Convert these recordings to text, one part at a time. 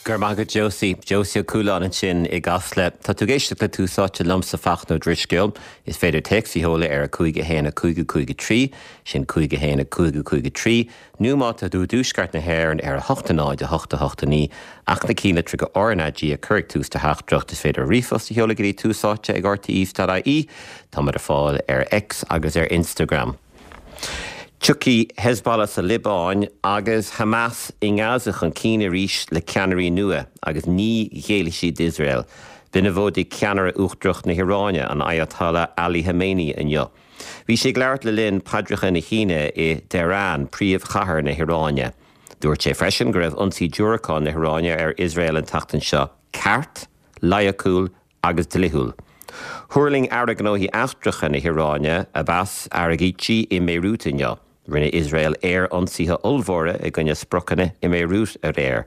Go raibh maith agat Josie. Josie Ó Cualáin ansin i gCasla. Tá tú ag éisteacht le Tús Áite liomsa Fachtna Ó Drisceoil. Is féidir téacs a sheoladh ar 5 1 5 5 3, sin 5 1 5 5 3, nó má tá tú i dtuaisceart na hÉireann ar 8 0 8 8 9, ach na cinnlitreacha RnaG a chur ag tús do theachtaireacht. Is féidir ríomhphost a sheoladh go dtí Tús Áite ag rte.ie. Táimid ar fáil ar X agus ar Instagram. Tiocfaidh Hezbollah sa Liobáin agus Hamas i nGaza chun cinn arís le ceannairí nua agus ní ghéillfidh siad d'Iosrael. B'in a mhóidigh ceannaire uachtarach na hIaráine, an Ayatollah Ali Khamenei inniu. Bhí sé ag labhairt le linn paidreacha na hAoine i dTehran, príomhchathair na hIaráine. Dúirt sé freisin go raibh ionsaí diúracán na hIaráine ar Iosrael an tseachtain seo ceart, loighciúil agus dlíthiúil. Thuirling Aire Gnóthaí Eachtracha na hIaráine, Abbas Araghchi, i mBeirút inniu. Rinne Iosrael aer-ionsaithe ollmhóra i gcoinne spriocanna i mBeirút aréir.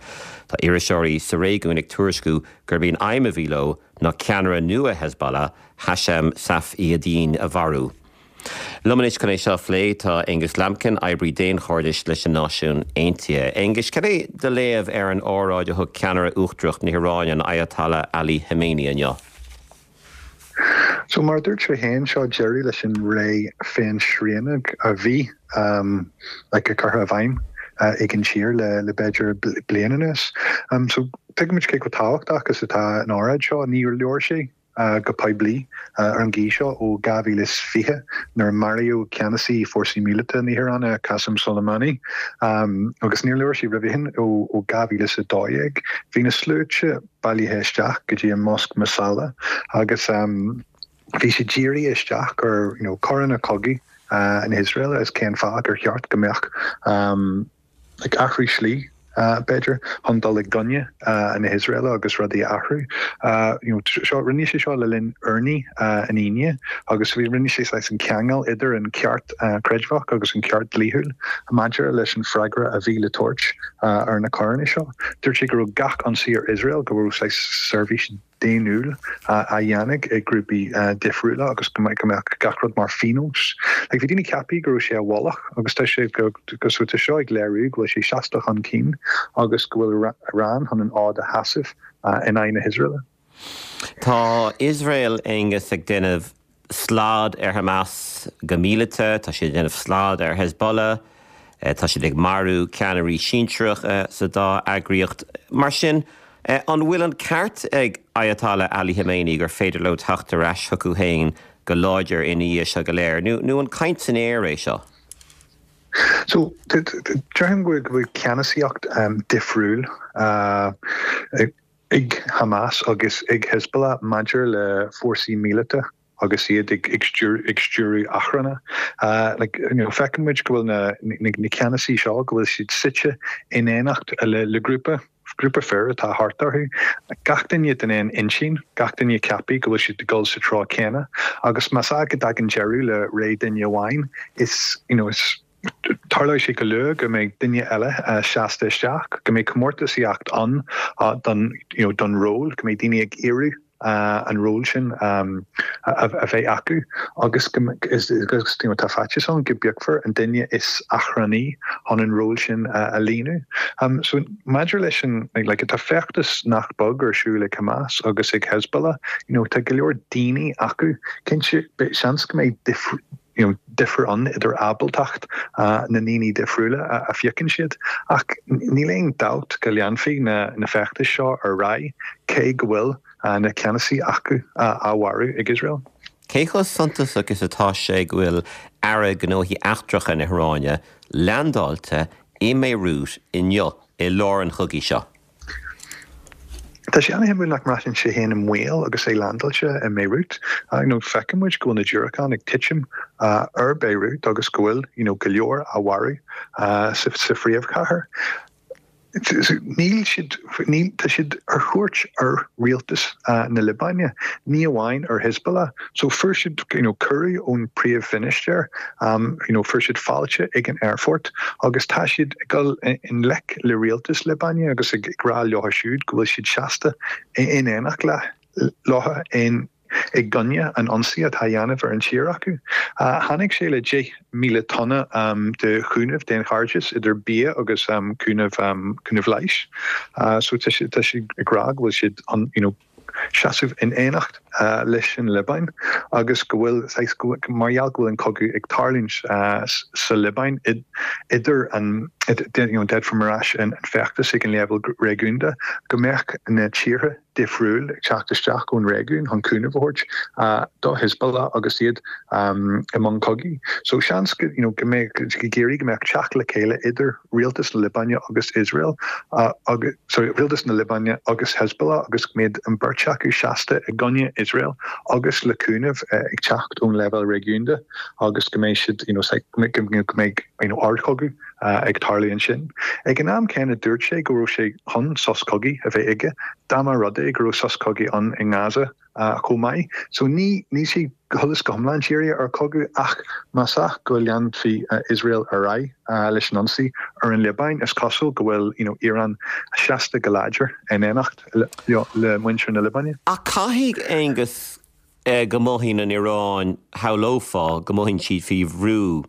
Tá iriseoirí sa réigiún ag tuairisciú gurb í an aidhm a bhí leo ná ceannaire nua Hezbollah, Hashem Safieddine, a mharú. Liom anois chun é seo a phlé tá Aonghus Lambkin, oibrí daonchairdis leis na Náisiúin Aontaithe. Aonghus, cad é do léamh ar an óráid a thug ceannaire uachtarach na hIaráine, an Ayatollah Ali Khamenei inniu? So mar a dúirt sé féin, seo deireadh leis an ré féinsrianaidh a bhí like curtha i bhfeidhm ag an tír le le b'fhéidir bliain anuas. So tuigimid cé chomh tábhachtach is atá an óráid seo. Níor labhair sé go poiblí ar an gcaoi seo ó 2020 nuair a maraíodh ceannasaí fórsaí míleata na hIaráine, Qasem Soleimani, agus níor labhair sé roimhe sin ó 2012. Bhí na sluaite bailithe isteach go dtí an Mosque Musalla agus bhí siad dírithe isteach ar you know coireanna cogaidh na hIosraeile agus cén fáth gur cheart go mbeadh ag athrú slí, b'fhéidir, chun dul i gcoinne na hIosraeile agus rudaí a athrú. You know, seo, rinne sé seo le linn urnaí an Aoine agus bhí, rinne sé saghas an ceangal idir an ceart creidmheach agus an ceart dlíthiúil maidir leis an freagra a bhí le tabhairt ar na coireanna seo. Dúirt sé go raibh gach ionsaí ar Iosrael, go raibh saghas seirbhís daonnúil á dhéanamh ag grúpaí difriúla agus go mbeadh gach rud mar phionós. Like, bhí daoine ceaptha go raibh sé i bhfolach agus tá sé go so tá seo ag léiriú go bhfuil sé seasta chun cinn agus go bhfuil Iran chun an fhód a sheasamh in aghaidh na hIosraeile. Tá Iosrael, Aonghus, ag déanamh slad ar Hamas go míleata, tá siad ag déanamh slad ar Hezbollah, tá siad ag marú ceannairí sinsearacha sa dá eagraíocht. Mar sin, an bhfuil an ceart ag Ayatollah Ali Khamenei gur féidir leo teacht ar ais chucu féin go láidir ina dhiaidh seo go léir, nó an caint san aer é seo? So, déarfainn go bhfuil ceannasaíocht difriúil ag Hamas agus ag Hezbollah maidir le fórsaí míleata agus iad ag stiúradh achranna. Like, you know, feiceann muid go bhfuil na, na ceannasaí seo, go bhfuil siad suite in éineacht le, le grúpa, grúpa fir atá thart orthu. Gach duine den aon intinn, gach duine ceaptha go bhfuil siad ag dul sa treo céanna. Agus más ea go dtagann deireadh le ré duine amháin, is, you know, is, Tarlóidh sé go luath go mbeidh duine eile seasta isteach, go mbeidh comórtasaíocht ann don you know don ról, go mbeidh daoine ag iarraidh an ról sin a bheith acu agus go agus you know tá faitíos ann go bpiocfar an duine is achrannaí chun an ról sin a líonadh. So maidir leis an like tá feachtas nach beag ar siúl ag Hamas agus ag Hezbollah, you know tá go leor daoine acu. Cinnte seans go mbeidh you know, difear ann idir ábaltacht na ndaoine difriúla a phiocann siad. Ach níl aon dabht go leanfaidh na feachtais seo ar aghaidh cé go bhfuil na ceannasaí acu á mharú ag Iosrael. Cé chomh suntasach is atá sé go bhfuil Aire Gnóthaí Eachtracha na hIaráine leaindeáilte i mBeirut inniu i lár an chogaidh seo? Tá sé an-shuimiúil nach mbraitheann sé féin i mbaol agus é leaindeáilte i mBeirut. You know, feiceann muid go bhfuil na diúracáin ag titim ar Beirut agus go bhfuil you know, go leor á mharú sa, sa phríomhchathair. Níl siad, níl, tá siad ar chuairt ar rialtas na Liobáine, ní amháin ar Hezbollah. So fuair siad you know, cuireadh ón príomh-mhinistir, you know, fuair siad fáilte ag an aerfort agus tá siad ag dul i ngleic le rialtas Liobáine agus ag rá leo siúd go bhfuil siad seasta in éineacht le leo in. i gcoinne an ionsaí atá á dhéanamh ar an tír acu. Tháinig sé le 10,000 tonna de chúnamh daonchairdis, idir bia agus cúnamh cúnamh leighis. So tá siad ag rá go bhfuil siad you know, seasamh in éineacht leis an Liobáin agus go bhfuil saghas, mar gheall go bhfuil an cogadh ag tarlúint sa Liobáin idir an, you know, d'fhéadfá mar ais an feachtas ag an leibhéal réigiúnda, go mbeadh na tíortha difriúil ag teacht isteach ón réigiún chun cúnamh a thabhairt do Hezbollah agus iad i mbun cogaidh. So seans go, you know, go mbeadh, ag iarraidh go mbeadh teacht le chéile idir rialtas na Liobáine agus Iosrael agus, sorry, rialtas na Liobáine agus Hezbollah agus go mbeadh an bheirt acu seasta i gcoinne Iosrael agus le cúnamh ag teacht ón leibhéal réigiúnda agus go mbeidh siad, you know, go mbeidh, you know, ardchogadh ag tarlú ansin. Ag an am céanna dúirt sé go raibh sé chun sos cogaidh a bheith aige dá mba rud é go raibh sos cogaidh ann i nGaza. chomh maith. So ní, níl sé go huile is go hiomlán dírithe ar chogadh ach más ea go leanfaidh Iosrael ar aghaidh leis an ionsaí ar an Liobáin, is cosúil go bhfuil you know Iran seasta go láidir in éineacht le muintir na Liobáine. Ach caithfidh, Aonghus, go mothaíonn an Iaráin, shamhlófá go mothaíonn siad faoi bhrú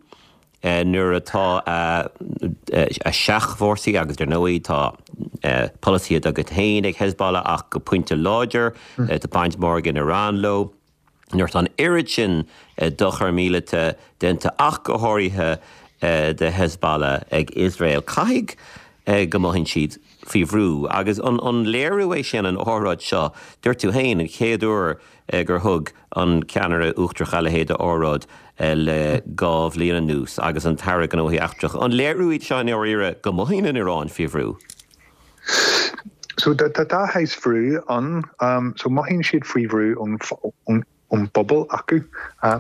nuair atá a seachfhórsaí, agus ar ndóigh tá polasaithe dá gcuid féin ag Hezbollah ach go pointe láidir, tá baint mhór ag an Iaráin leo, nuair atá an oiread sin dochar míleata déanta ach go háirithe do Hezbollah ag Iosrael, caithfidh go mothaíonn siad faoi bhrú. Agus an léiriú é sin an óráid seo, dúirt tú féin, an chéad uair gur thug an ceannaire uachtarach a leithéid de óráid le 2 bhliain anuas agus an tAire Gnóthaí Eachtracha. An léiriú iad seo i ndáiríre go mothaíonn an Iaráin faoi bhrú? So tá dhá shaghas bhrú ann. So mothaíonn siad faoi bhrú ón ón bpobal acu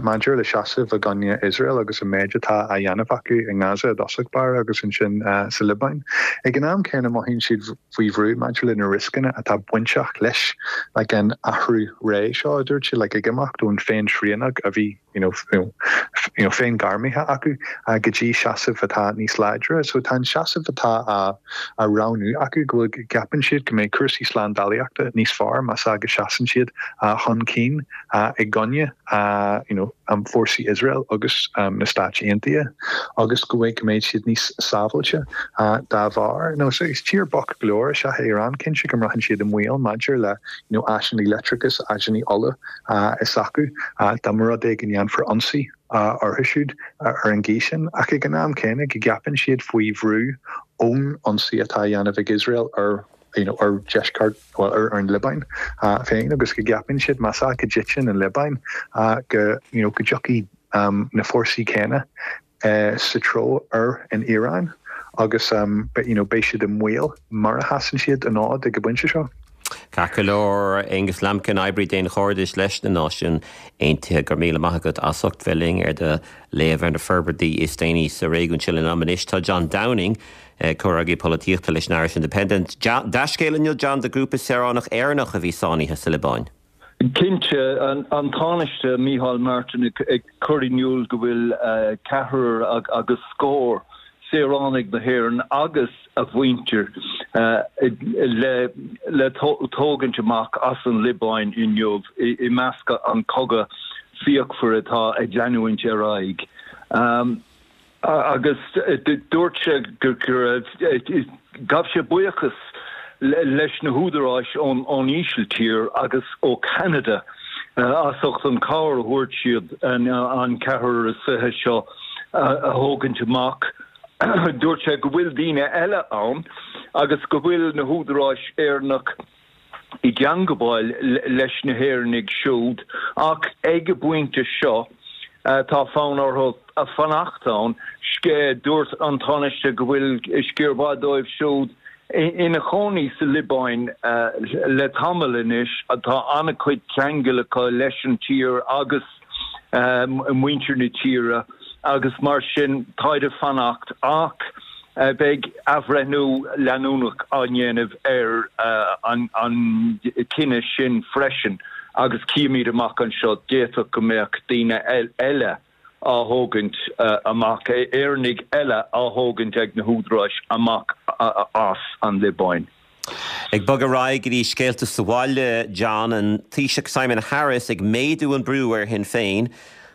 maidir le seasamh i gcoinne Iosrael agus an méid atá á dhéanamh acu i nGaza i dtosach báire agus ansin sa Liobáin. Ag an am céanna mothaíonn siad faoi bhrú maidir le na rioscanna atá bainteach leis like an athrú ré seo, a dúirt sé, like ag imeacht ón féin-srianadh a bhí you know, you know, féin-ghairmithe acu go dtí seasamh atá níos láidre. So tá an seasamh atá á, á roghnú acu go bhfuil, gceapann siad go mbeidh cúrsaí slándálaíochta níos fearr más ea go seasann siad chun cinn i gcoinne you know, fórsaí Iosrael agus na Stáit Aontaithe agus go bhfuil go mbeidh siad níos sábháilte dá bharr. Now, so is tír bocht go leor is ea é Iran, cinnte go mbraitheann siad i mbaol maidir le you know, áiseanna leictreachais, áiseanna ola s'acu dá mba rud é go ndéanfar ionsaí orthu siúd ar an gcaoi sin. Ach ag an am céanna go gceapann siad faoi bhrú ón ionsaí atá á dhéanamh ag Iosrael ar you know, ar dheisceart, bhuel, ar an Liobáin féin agus go gceapann siad más ea go dtiteann an Liobáin go, you know, go dtiocfaidh na fórsaí céanna sa treo ar an Iaráin agus you know, beidh siad i mbaol mura sheasann siad an fhód ag an bpointe seo. Ceart go leor, Aonghus Lambkin, oibrí daonchairdis leis na Náisiúin Aontaithe, go raibh míle maith agat as ucht bheith linn ar do léamh ar na forbairtí is déanaí sa réigiún sin. Linn anois tá John Downing, Comhfhreagraí Polaitíochta leis an Irish Independent. Dea-scéala inniu, John, do ghrúpa saoránach Éireannach a bhí sáinnithe sa Liobáin. Cinnte, an Tánaiste Micheál Martin ag cur in iúl go bhfuil ceathrar agus scór saoránaigh na hÉireann agus a mhuintir le tógaint amach as an Liobáin inniu i measc an cogadh fíochmhar atá ag leanúint ar aghaidh. Agus dúirt sé go raibh, ghabh sé buíochas leis na húdaráis ón Ísiltír agus ó Cheanada as ucht an chabhair a thabhairt siad an ceathrar is fiche seo a thógaint amach. Dúirt sé go bhfuil daoine eile ann agus go bhfuil na húdaráis Éireannach i dteangabháil leis na hÉireannaigh siúd ach ag an bpointe seo tá fonn orthu fanacht ann. Dúirt an Tánaiste go bhfuil sciar mhaith dóibh siúd ina chónaí sa Liobáin le tamall anois. Tá an-chuid ceangal acu leis an tír agus muintir na tíre agus mar sin táid ag fanacht ach beidh athbhreithniú leanúnach á ndéanamh ar an cinneadh sin freisin agus cífimid amach anseo, d'fhéadfadh go mbeadh daoine eile á thógaint amach, Éireannaigh eile á thógaint ag na húdaráis amach as an Liobáin. Ag bogadh ar aghaidh go dtí scéalta sa bhaile, John, an Taoiseach Simon Harris ag méadú an brú ar Shinn Féin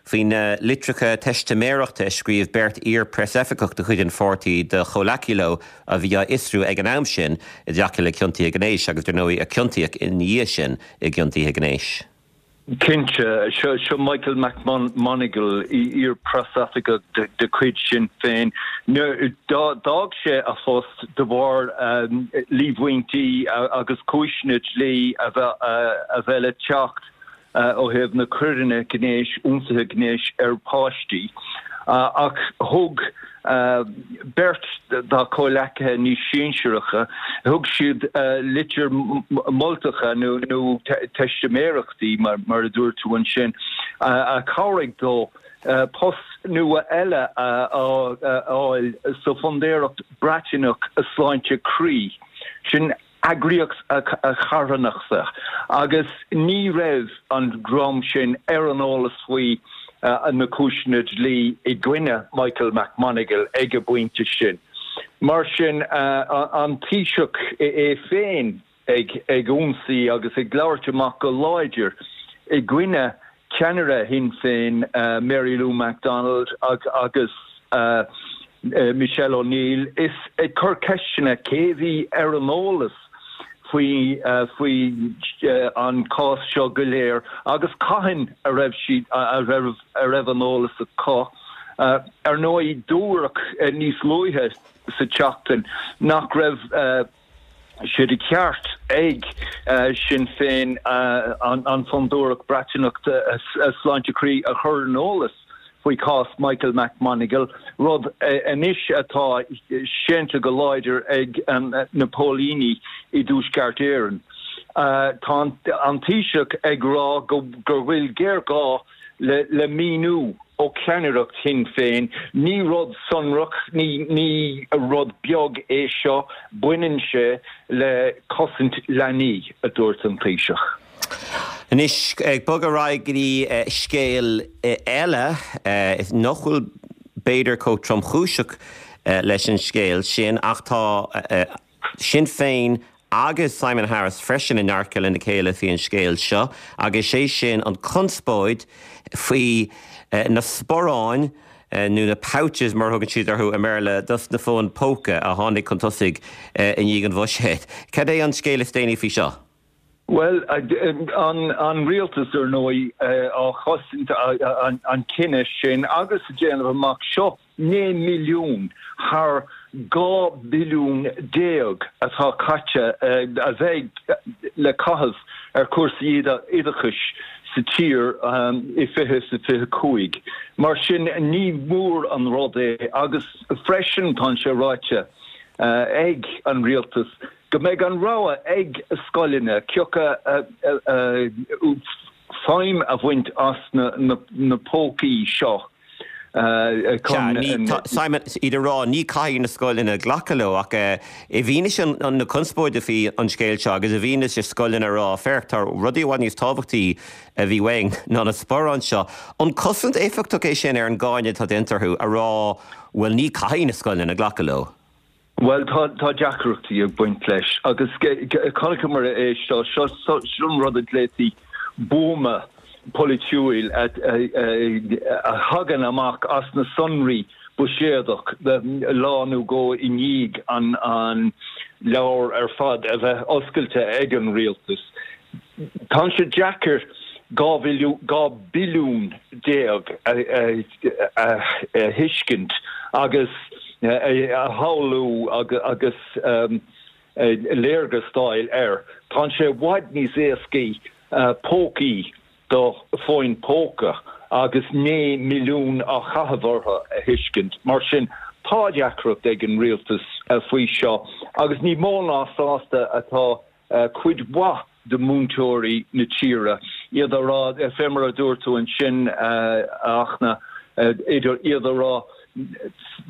faoi na litreacha teistiméireachta a scríobh beirt iar-preasoifigeach de chuid an pháirtí do chomhleacaí leo a bhí á fhiosrú ag an am sin i dtaca le ciontuithe gnéis agus, dar ndóigh, a ciontaíodh ina dhiaidh sin i gciontuithe gnéis. Cinnte, seo Michael McMonagle, iar-preasoifigeach de chuid Sinn Féin. D'fhág sé a phost de bharr líomhaintí agus cúiseanna dlí a bheith le teacht ó thaobh na coireanna gnéis, ionsaithe gnéis ar pháistí. Ach thug beirt dá chomhleacaithe níos sinsearacha, thug siad litir moltacha nó teistiméireachtaí, mar a dúirt tú ansin, a chabhraigh dó post nua eile a fháil sa Fondúireacht Breataineach Sláinte Croí. Sin eagraíocht charthanachta agus ní raibh an dream sin ar an eolas faoi na cúiseanna dlí i gcoinne Michael McMonagle ag an bpointe sin. Mar sin, an Taoiseach é féin ag ionsaí agus ag labhairt amach go láidir i gcoinne ceannaire Shinn Féin, Mary Lou McDonald agus Michelle O'Neill, is ag cur ceisteanna cé a bhí ar an eolas faoi faoi an cás seo go léir agus cathain a raibh siad a raibh a raibh an eolas acu. Ar ndóigh, dúradh níos luaithe sa tseachtain nach raibh sé de cheart ag Sinn Féin an Fondúireacht Breataineach Sláinte Croí a chur ar an eolas faoi chás Michael McMonagle, rud anois atá séanta go láidir ag na póilíní i dTuaisceart Éireann. Tá an Taoiseach ag rá go bhfuil géarghá le míniú ó cheannaireacht Shinn Féin. Ní rud sonrach, ní rud beag é seo, baineann sé le cosaint leanaí, a dúirt an Taoiseach. Anois, ag bogadh ar aghaidh go dtí scéal eile, nach bhfuil b'fhéidir chomh tromchúiseach leis an scéal sin ach tá Sinn Féin agus Simon Harris freisin i ndearcadh lena chéile faoi an scéal seo agus sé sin an conspóid faoi na sparáin nó na pouches mar a thugann siad orthu i mBéarla dos na fóin póca a tháinig chun tosaigh i ndiaidh an bhuiséid. Cad é an scéal is déanaí faoi seo? Bhuel, an rialtas, ar ndóigh, á chosaint an cinneadh sin agus ag déanamh amach seo 9 milliún thar 12 billiún atá caite, a bheidh le caitheamh ar chúrsaí oideachais sa tír i 2025. Mar sin, ní mór an rud é agus freisin tá sé ráite ag an rialtas go mbeidh an rogha ag scoileanna cé acu feidhm a bhaint as na pócaí seo chun. Sea, Simon, iad ag rá ní caithfidh na scoileanna glacadh leo ach i bhfianaise na conspóide faoi an scéal seo agus i bhfianaise scoileanna ag rá féach tá rudaí i bhfad níos tábhachtaí a bhí uainn ná na sparáin seo, an cosaint éifeachtach é sin ar an gcáineadh atá déanta orthu a rá bhuel ní caithfidh na scoileanna glacadh leo? Bhuel, tá deacrachtaí ag baint leis agus chonaiceamar é seo, seo an rud a glaotaí buama polaitiúil a thagann amach as na sonraí buiséadach lá nó dhó i ndiaidh an leabhar ar fad a bheith oscailte ag an rialtas. Tá sé deacair 12 billiún a thuiscint agus a shamhlú agus léargas d'fháil air. Tá sé i bhfad níos éascaí pócaí do fóin póca agus 9 milliún á chaitheamh orthu a thuiscint. Mar sin, tá deacracht ag an rialtas faoi seo agus ní mó ná sásta atá cuid mhaith de mhúinteoirí na tíre, iad a rá, fé mar a dúirt tú ansin, a Fhachtna, idir iad a rá,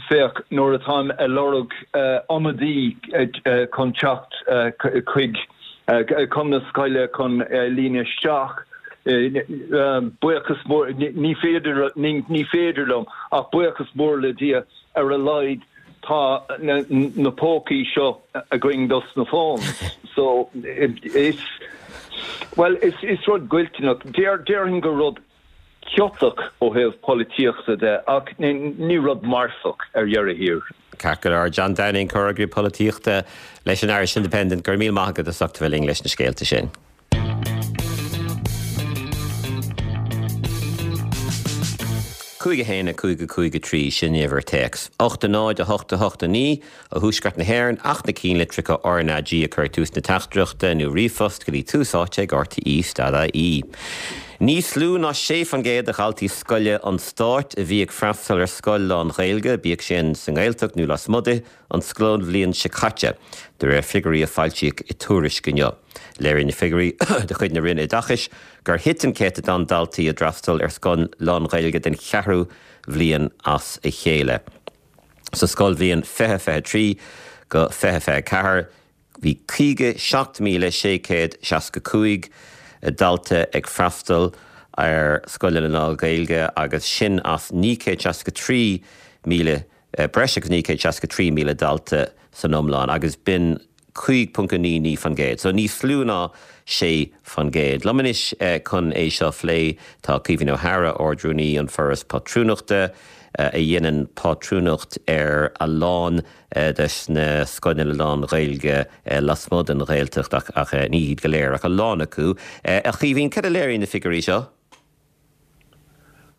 féach, nuair atáim ag lorg ionadaí chun teacht chuig, chun na scoile chun líonadh isteach, buíochas mór, ní féidir, ní féidir liom, ach buíochas mór le Dia, ar a laghad tá na pócaí seo againn dos na phones. So is, bhuel, is rud goillteanach, déarfainn gur rud ciotach ó thaobh polaitíochta de ach ní rud marfach ar dheireadh thiar. Ceart go leor. John Downing, Comhfhreagraí Polaitíochta leis an Irish Independent, go raibh míle maith agat as ucht a bheith linn leis na scéalta sin. 5 1 5 5 3, sin uimhir téacs. 8 0 8 8 9 ó thuaisceart na hÉireann ach na cinnlitreacha RnaG a chur ag tús na teachtaireachta nó ríomhphost go dtí tús áite ag rte.ie. Níos lú ná 6% de dhaltaí scoile an stáit a bhí ag freastal ar scoil lán-Ghaeilge, bíodh sin sa nGaeltacht nó lasmuigh di, an scoilbhliain seo caite, de réir figiúirí a foilsíodh i tuairisc inniu. Léiríonn na figiúirí de chuid na Roinne Oideachais gur thit an céatadán daltaí a d'fhreastail ar scoil lán-Ghaeilge den cheathrú bhliain as a chéile. Sa scoilbhliain 2023-2024, bhí 57,665 dalta ag freastal ar scoileanna lán-Ghaeilge agus sin as 963,000, breis agus 963,000 dalta san iomlán agus b'in 5.99%, so níos lú ná 6%. Liom anois chun é seo a phlé tá Caoimhín Ó hEadhra, Ard-Rúnaí an Foras Pátrúnachta, a dhéanann pátrúnacht ar a lán des na scoileanna lán-Ghaeilge lasmuigh den Ghaeltacht, ach ní hiad go léir, ach a lán acu. A Chaoimhín, cad a léiríonn na figiúirí seo?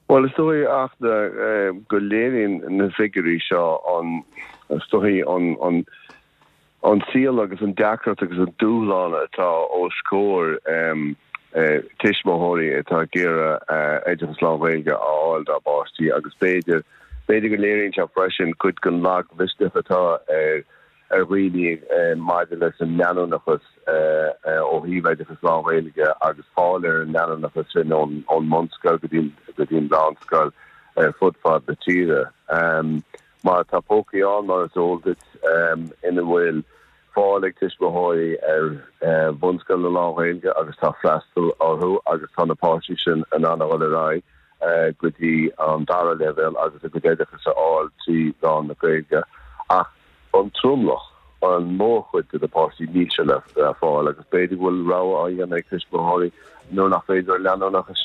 Bhuel, is dóigh Fhachtna go léiríonn na figiúirí seo an, is dóigh, an, an saol agus an deacracht agus an dúshlán atá os comhair tuismitheoirí atá ag iarraidh oideachas lán-Ghaeilge a fháil dá bpáistí agus b'fhéidir, b'fhéidir go léiríonn sé freisin cuid den lagmhisneach atá ar ar dhaoine maidir leis an leanúnachas ó thaobh oideachas lán-Ghaeilge agus fáil ar an leanúnachas sin ón mbunscoil go dtí an mheánscoil ar fud fad na tíre. Mar tá pócaí ann, mar is eol duit, ina bhfuil fáil ag tuismitheoirí ar bhunscoileanna lán-Ghaeilge agus tá freastal orthu agus tá na páistí sin in ann a dhul ar aghaidh go dtí an dara leibhéal agus a gcuid oideachais a fháil trí mheán na Gaeilge. Ach an tromlach, an mhórchuid de na páistí, níl sé le fáil agus b'fhéidir go bhfuil rogha á dhéanamh ag tuismitheoirí nuair nach féidir an leanúnachas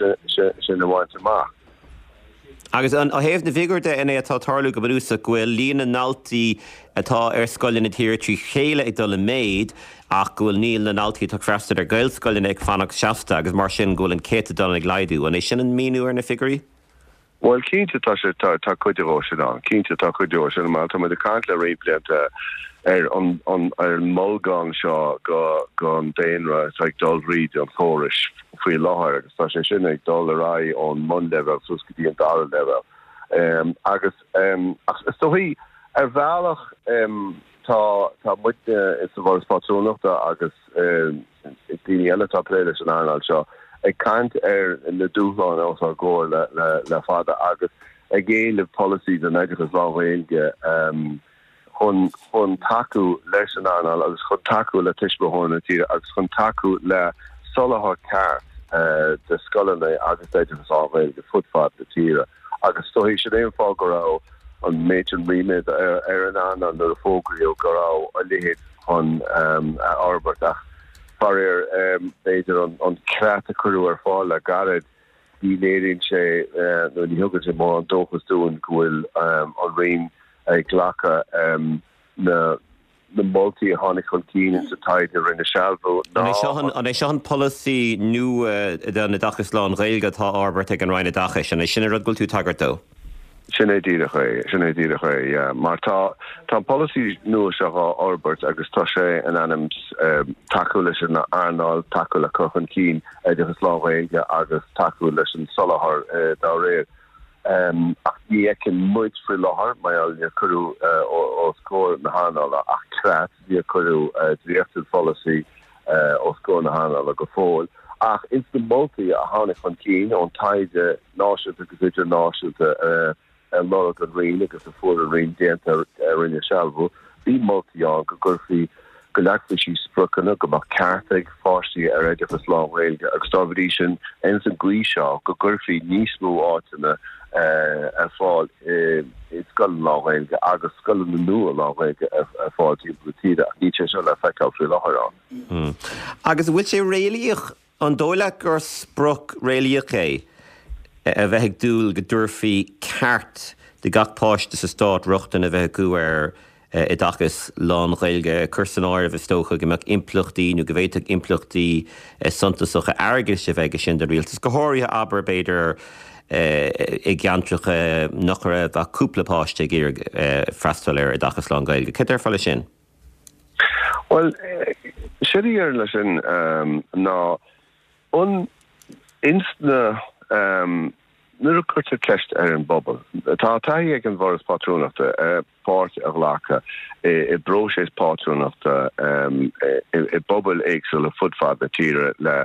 sin a bhaint amach. Agus ó thaobh na bhfigiúr de, an é atá ag tarlú go bunúsach go bhfuil líon na ndaltaí atá ar scoileanna na tíre trí chéile ag dul i méad ach go bhfuil líon na ndaltaí atá ag freastal ar Ghaelscoileanna ag fanacht seasta agus mar sin go bhfuil an céatadán ag laghdú. An é sin an míniú ar na figiúirí? Bhuel, cinnte tá sé, tá, tá cuid de sin ann. Cinnte tá cuid de sin ann. Tá muid ag caint le roinnt blianta ar an, an, ar an mbolgán seo go, gon daonra atá ag dul thríd an chórais faoi láthair agus tá sé sin ag dul ar aghaidh ón mbunleibhéal suas go dtí an dara leibhéal. Agus, ach is dóichí, ar bhealach, tá, tá muidne sa bhForas Pátrúnachta agus, daoine eile atá ag plé leis an earnáil seo ag caint ar na dúshláin os ár gcomhair le fada agus ag éileamh polasaí don oideachas lán-Ghaeilge chun chun tacú leis an earnáil agus chun tacú le tuismitheoirí na tíre agus chun tacú le soláthar ceart de scoileanna agus d'oideachas lán-Ghaeilge fud fad na tíre. Agus is dóichí sin é an fáth go raibh an méid sin ríméad ar an earnáil nuair a fógraíodh go raibh a leithéid chun a fhorbairt. Ach faraor, b'fhéidir an creat a cuireadh ar fáil le gairid, ní léiríonn sé nó ní thugann sé mórán dóchas dúinn go bhfuil an Roinn ag glacadh na na moltaí a tháinig chun cinn ins an taighde a rinne Sealbhú ná. An é seo an polasaí nua don oideachas lán-Ghaeilge atá á fhorbairt ag an Roinn Oideachais? An é sin an rud go bhfuil tú ag tagairt dó? Sin é díreach é, sin é díreach é, yeah. Mar tá, tá an polasaí nua seo dhá fhorbairt agus tá sé in ainm tacú leis an earnáil, tacú le cur chun cinn oideachas lán-Ghaeilge agus tacú leis an soláthar dá réir. Ach ní fheiceann muid faoi láthair, mar gheall níor cuireadh os comhair na hearnála ach creat, níor cuireadh dréacht den pholasaí os comhair na hearnála go fóill. Ach ins na moltaí a tháinig chun cinn ón taighde náisiúnta agus idirnáisiúnta a lorg an Roinn agus a fuair an Roinn déanta a rinne Sealbhú, bhí moltaí ann go gcuirfí. go leagfaí síos spriocanna, go mbeadh ceart ag pháistí ar oideachas lán-Ghaeilge agus dá bhrí sin, ins an gcaoi seo, go gcuirfí níos mó áiteanna ar fáil i scoileanna lán-Ghaeilge agus scoileanna nua lán-Ghaeilge ar fáil timpeall na tíre ach níl sé seo le feiceáil faoi láthair ann. Agus an bhfuil sé réalaíoch An dóigh leat gur sprioc réalaíoch é a bheith ag dúil go dtabharfaí ceart do gach páiste sa stát rochtain a bheith acu ar oideachas lán-Ghaeilge? Cuir san áireamh, is dócha, go mbeadh impleachtaí nó go bhféadfadh impleachtaí suntasacha airgeadais a bheith aige sin don rialtas, go háirithe, abair, b'fhéidir, i gceantracha nach raibh ach cúpla páiste ag iarraidh freastal ar oideachas lán-Ghaeilge. Cad déarfá leis sin? Bhuel, séard a déarfainn leis sin ná an ins na nuair a cuirtear ceist ar an bpobal, tá taithí ag an bhForas Pátrúnachta páirt a ghlacadh i bpróiseas pátrúnachta i bpobail éagsúla fud fad na tíre le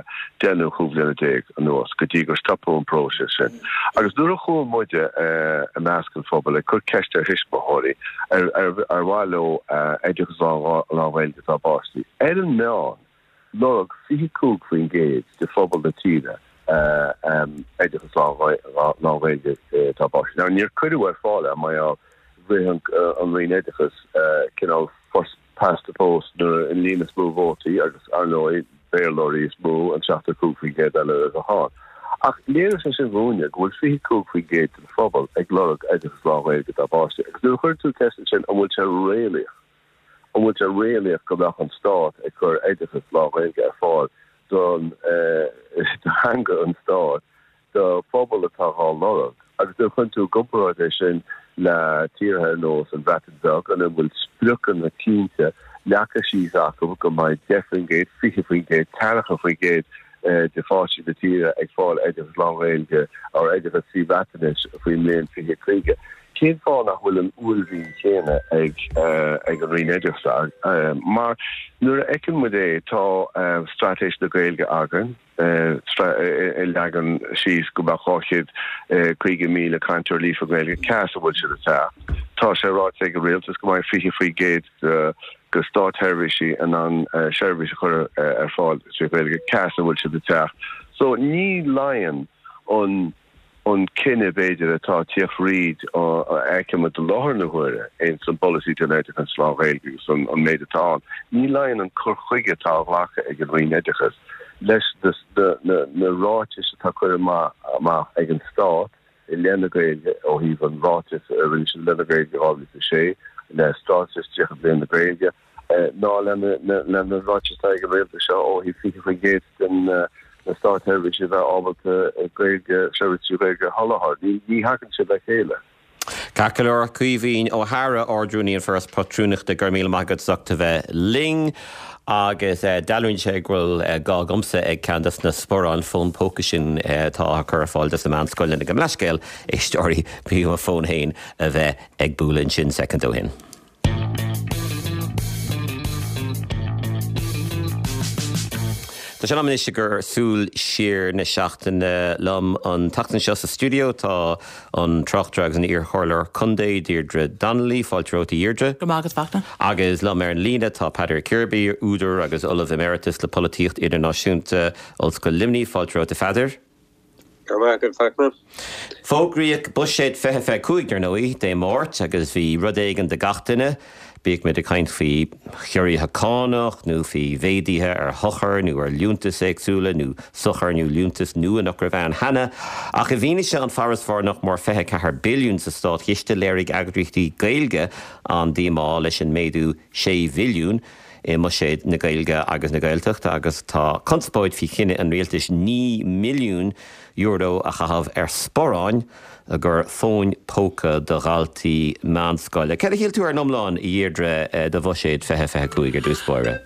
deich nó 15 bhliana anuas go dtí gur stopadh an próiseas sin. Agus nuair a chuaigh muide i measc an phobail ag cur ceist ar thuismitheoirí ar mhaith leo oideachas lán-Ghaeilge dá bpáistí, ar an meán, lorg 25% de phobal na tíre oideachas lán-Ghaeilge dá bpáistí. Now, níor cuireadh ar fáil é mar gheall rith an Roinn Oideachais cineál first past the post nuair an líon is mó vótaí agus, ar ndóigh, Béarlóirí is mó, an 75% eile a bheadh ann. Ach léirigh sé sin dhúinne go bhfuil 25% den phobal ag lorg oideachas lán-Ghaeilge dá bpáistí. Agus nuair a chuir tú ceist ansin an bhfuil sé réalaíoch, an bhfuil sé réalaíoch go mbeadh an stát ag cur oideachas lán-Ghaeilge ar fáil don do theanga an stáit, do phobal atá dhá lorg. Agus nuair a chuireann tú i gcomparáid é sin le tíortha ar nós an Bhreatain Bheag, ina bhfuil spriocanna cinnte leagtha síos acu go mbeidh 10%, 20%, 30% de pháistí na tíre ag fáil oideachas lán-Ghaeilge or oideachas trí Bhreatainis faoin mbliain 2050. Cén fáth nach bhfuil an uaillmhian chéanna ag ag an Roinn Oideachais? Mar nuair a fheiceann muid é, tá Straitéis na Gaeilge againn, a leagann síos go mbeadh 250,000 cainteoir líofa Gaeilge, cá as a bhfuil siad ag teacht. Tá sé ráite ag an rialtas go mbeidh 20% de státsheirbhísigh in ann seirbhís a chur ar fáil trí Ghaeilge, cá as a bhfuil siad ag teacht. So ní luíonn an an cinneadh, b'fhéidir, atá ag tíocht fríd a fheicimid i láthair na huaire ins an bpolasaí don oideachas lán-Ghaeilge agus an méid atá ann, ní luíonn an cur chuige atá á ghlacadh ag an Roinn Oideachais leis na ráitis atá curtha amach ag an Stát i leith na Gaeilge ó thaobh an ráiteas a rinne siad i leith na Gaeilge 2006, le Straitéis 30 Bliain na Gaeilge. ná lena ráitis atá ag an rialtas seo ó thaobh 20% den na státsheirbhísigh a bheith ábalta Gaeilge, seirbhís trí Ghaeilge a sholáthar. Ní thagann sé le chéile. Ceart go leor, Caoimhín Ó hEadhra, Ard-Rúnaí an Foras Pátrúnachta, go raibh míle maith agat as ucht a bheith linn. Agus dealraíonn sé go bhfuil gá agamsa ag ceann des na sparáin fón póca sin atá á cur ar fáil dos na meánscoileanna. Gabh mo leithscéal, éisteoirí, bhí mo fón féin a bheith ag bualadh ansin soicind ó shin. Tá sé in am anois i gcomhair súil siar na seachtaine liom an tseachtain seo sa stiúideo tá an tráchtaire agus an iarchomhairleoir contae Deirdre Donnelly. Fáilte romhat a Dheirdre. Go raibh maith agat a Fachtna. Agus liom ar an líne tá Peadar Kirby, údar agus Ollamh Emeritus le Polaitíocht Idirnáisiúnta, Ollscoil Luimnigh. Fáilte romhat a Pheadair. Go raibh maith agat, Fachtna. Fógraíodh Buiséad 2025, ar ndóigh, Dé Máirt agus bhí rud éigin do gach duine, bíodh muid ag caint faoi chiorruithe cánach nó faoi mhéaduithe ar shochair nó ar liúntais éagsúla nó sochair nó liúntais nua nach raibh ann cheana. Ach i bhfianaise an farasbarr nach mór 24 billiún sa státchiste, léirigh eagraíochtaí Gaeilge an-díomá leis an méadú 6 bhilliún. i mbuiséad na Gaeilge agus na Gaeltachta agus tá conspóid faoi chinneadh an rialtais €9 milliún a chaitheamh ar sparáin i gcomhair fóin póca do dhaltaí meánscoile. Céard a shíl tú ar an iomlán, a Dheirdre, de bhuiséad 2025 ar dtús báire?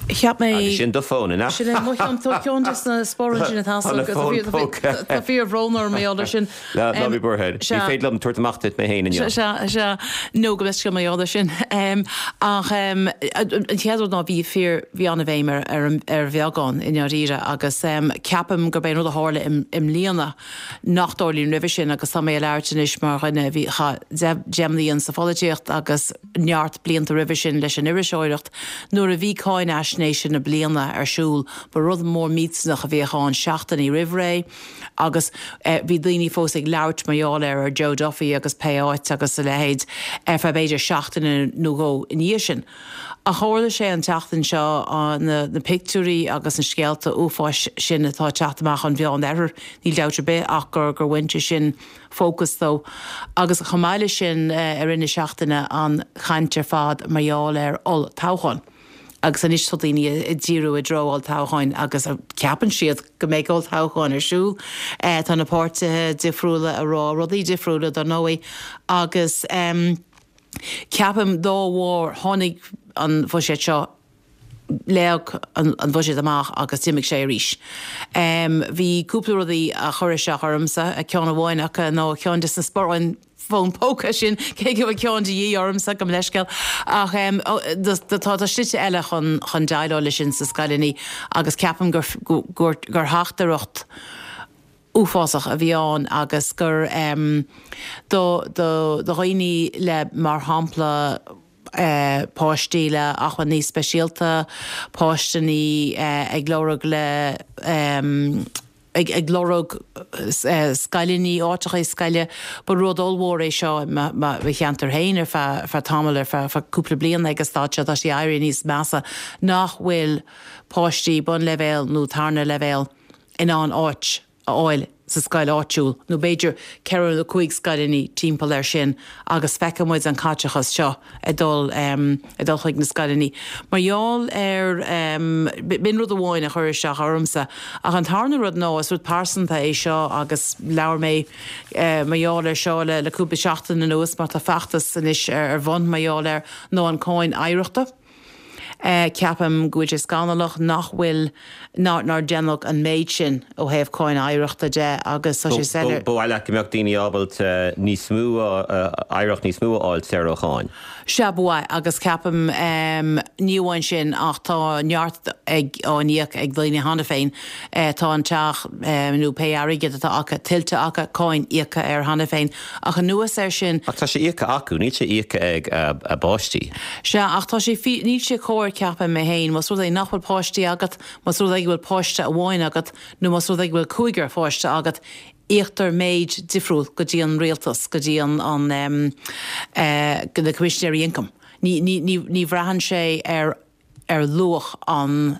Cheap mé. Agus sin do fón, an ea? Sin é mo cheann, tá ceann de na sparáin sin atá Tá na fóin póca. Tá fíor-bhrón orm mar gheall air sin. Ná bí buartha. Ní féidir liom tabhairt amach duit mé féin inniu. Sea, sea. Nó go leithscéal mar gheall air sin. Ach an chéad rud ná bhí fíor, bhí an-bhéim ar ar bheagán i ndáiríre agus ceapaim gurb é an rud a tharla i mbliana nach dtarlaíonn roimhe sin agus tá mé ag labhairt anois mar dhuine a bhí, chaith deich mbliana sa pholaitíocht agus neart blianta roimhe sin leis an iriseoireacht. Nuair a bhí cáinaisnéise na bliana ar siúl, ba rud mór millteanach a bhíodh ann seachtainí roimh ré agus bhí daoine fós ag labhairt mar gheall air ar Joe Duffy agus pé áit agus a leithéid ar feadh b'fhéidir seachtaine nó dhó ina dhiaidh sin. Ach tharla sé an tseachtain seo, na pictiúirí agus na scéalta uafáis sin atá ag teacht amach ón Mheán Oirthear, níl dabht ar bith ach gur bhain sé sin fócas dó. Agus chomh maith leis sin i rith na seachtaine an chaint ar fad mar gheall ar olltoghchán. Agus anois tá daoine ag díriú i dtreo olltoghcháin agus ceapann siad go mbeidh olltoghchán ar siúl. Tá na páirtithe difriúla ag rá rudaí difriúla dar ndóigh agus ceapaim dá bharr tháinig an bhuiséad seo Léadh an bhuiséad amach agus d'imigh sé arís. Bhí cúpla rudaí a chuir isteach ormsa, ceann amháin acu ná ceann de na sparáin fón póca sin, cé go bhfuil ceann de dhíth ormsa, gabh mo leithscéal. Ach tá slite eile chun déileáil leis sin sna scoileanna agus ceapaim gur theachtaireacht uafásach a bhí ann agus gur do dhaoine le, mar shampla, páistí le acmhainní speisialta, páistí ag lorg le ag lorg scoileanna, áiteacha scoile. Ba rud ollmhór é seo i mo cheantar féin ar feadh tamaill, ar feadh cúpla bliain ag an staid seo, tá sé ag éirí níos measa, nach bhfuil páistí bunleibhéal nó tarna leibhéal in ann áit a fháil sa scoil áitiúil, nó b'fhéidir ceithre nó cúig scoileanna timpeall air sin agus feiceann muid an caiteachas seo ag dul ag dul chuig na scoileanna. Mar gheall ar, b'in rud amháin a chuir isteach ormsa. Ach an tarna rud ná, is rud pearsanta é seo agus labhair mé mar gheall air seo le le cúpla seachtain anuas mar tá feachtas anois ar bun mar gheall air, ná an cáin oidhreachta. Ceapaim go bhfuil sé scannalach nach bhfuil, nár déanadh an méid sin ó thaobh cáin oidhreachta de agus tá sé soiléir. Ba mhaith leat go mbeadh daoine ábalta níos mó, oidhreacht níos mó a fháil saor ó cháin? Sea, ba mhaith agus ceapaim, ní amháin sin ach tá neart ag, á n-íoc ag daoine cheana féin. Tá an teach nó pé airgead atá acu tuillte acu, cáin íoctha air cheana féin. Ach anuas air sin. Ach tá sé íoctha acu, níl sé íoctha ag a bpáistí. Sea, ach tá sé fí-, níl sé cóir, ceapaim mé féin, más rud é nach bhfuil páistí agat, más rud é go bhfuil páiste amháin agat, nó más rud é go bhfuil cúigear pháiste agat, íoctar méid difriúil go dtí an rialtas, go dtí an, an, eh, na Coimisinéirí Ioncaim. Ní, ní, ní, ní bhraitheann sé ar, ar luach an.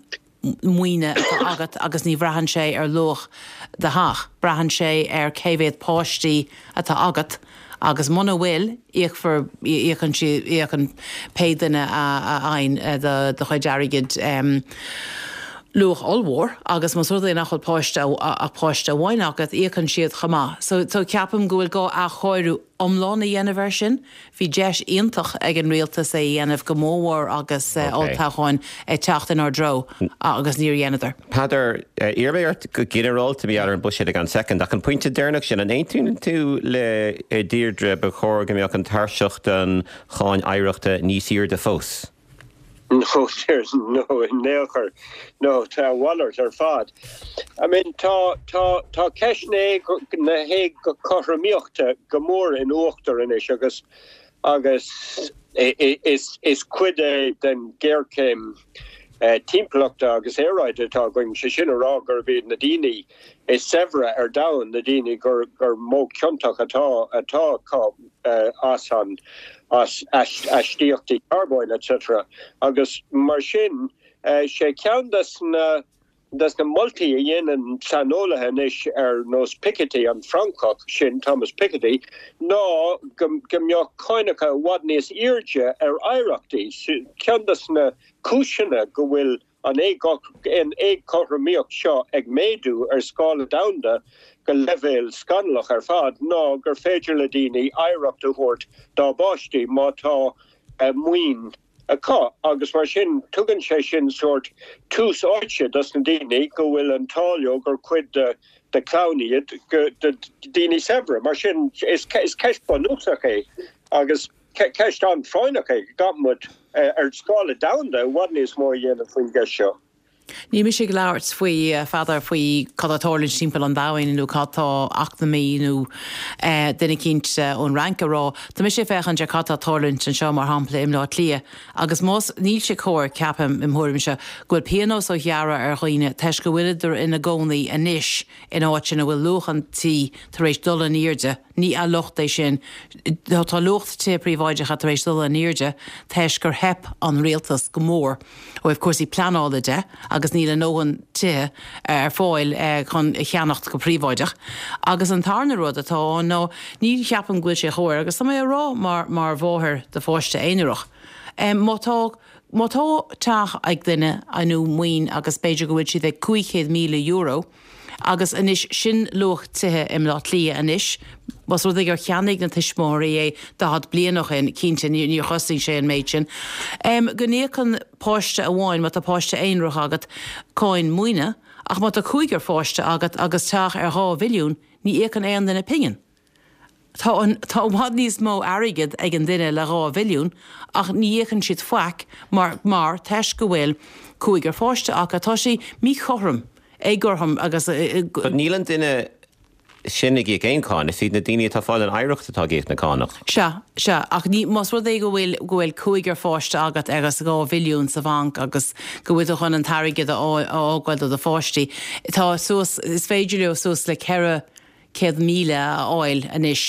maoine atá agat agus ní bhraitheann sé ar luach do theach, braitheann sé ar cé mhéad páistí atá agat agus muna bhfuil, íocfar, íocann siad, íocann pé duine a fhaigheann do do chuid airgid luach ollmhór agus más rud é nach bhfuil páiste ach páiste amháin agat, íocann siad chomh maith. So so ceapaim go bhfuil gá athchóiriú iomlán a dhéanamh air sin. Bhí deis iontach ag an rialtas é a dhéanamh, go mórmhór agus olltoghcháin ag teacht inár dtreo, agus níor dheineadar. Peadar, iarrfaidh mé ort go ginearálta mar gheall ar an buiséad i gceann soicind, ach an pointe deireanach sin, an aontaíonn tú le Deirdre, ba chóir go mbeadh an tairseach don cháin oidhreachta níos airde fós? No, no, in aon chor. No, tá a mhalairt ar fad. I mean, tá, tá, tá ceist na na héagothromaíochta go mór in uachtar anois agus, agus is, is cuid é den ghéarchéim timpeallachta agus aeráide atá againn, sé sin a rá gurb iad na daoine is saibhre ar domhan, na daoine gur, gur mó ciontach atá, atá acu as an, as aistíochtaí carbóin etc. Agus mar sin, sé ceann des na des na moltaí a dhéanann saineolaithe anois ar nós Piketty, an Francach sin, Thomas Piketty, ná go mbeadh cáinacha i bhfad níos airde ar oidhreachtaí. Ceann des na cúiseanna go bhfuil an éagothromaíocht seo ag méadú ar scála domhanda go leibhéal scannalach ar fad ná gur féidir le daoine oidhreacht a thabhairt dá bpáistí má tá maoin. acu agus mar sin tugann sé sin sórt tús áite dos na daoine go bhfuil an t-ádh leo gur cuid de de chlann iad de daoine saibhre. Mar sin is ceist bunúsach é agus ceist an-phráinneach é go gcaithfidh muid ar scála domhanda i bhfad níos mó a dhéanamh faoin gceist seo. Níl mise ag labhairt faoi, a Pheadair, faoi cad tá ag tarlúint timpeall an domhain nó cad tá eacnamaí nó duine eicínt ón Fhrainc a rá. Tá mise ag féachaint ar cad tá ag tarlúint anseo, mar shampla, i mBleá Cliath. Agus más, níl sé cóir, ceapaim, im thuairimse, go bhfuil pionós á ghearradh ar dhaoine toisc go bhfuileadar ina gcónaí anois in áit ina bhfuil luach an tí tar éis dul in airde, Ní locht é sin. Tá luach tithe príobháideacha tar éis dul in airde toisc gur theip an rialtas go mór ó thaobh cúrsaí pleanála de agus níl a ndóthain tithe ar fáil chun a cheannacht go príobháideach. Agus an tarna rud atá ann ná ní cheapaim go bhfuil sé chóir, agus tá mé á rá mar mar mháthair do pháiste aonarach, má tá má tá teach ag duine nó maoin agus b'fhéidir go bhfuil siad ag €500,000, Agus anois, sin luach tithe i mBleá Cliath anois. Más rud é gur cheannaigh na tuismitheoirí é 40 bliain ó shin, cinnte, níor chosain sé an méid sin. Go n-íocann páiste amháin, má tá páiste aonarach agat, cáin maoine, ach má tá cúigear pháiste agat agus teach ar 2 mhilliún, ní íocann aon duine pingin. Tá an, tá i bhfad níos mó airgead ag an duine le 2 mhilliún ach ní íocann siad faic mar, mar, toisc go bhfuil cúigear pháiste acu. Tá sé míchothrom, éagothrom agus. But níl an duine sin ag íoc aon cáin, is iad na daoine atá ag fáil an oidhreacht atá ag íoc na cánach. Sea, sea, ach ní, más rud é go bhfuil, go bhfuil cúigear pháiste agat agus 2 mhilliún sa bhanc agus go bhfuil tú chun an t-airgead a fháil, a fhágáil do do pháistí, tá suas, is féidir leo suas le 4, 100,000 a fháil anois,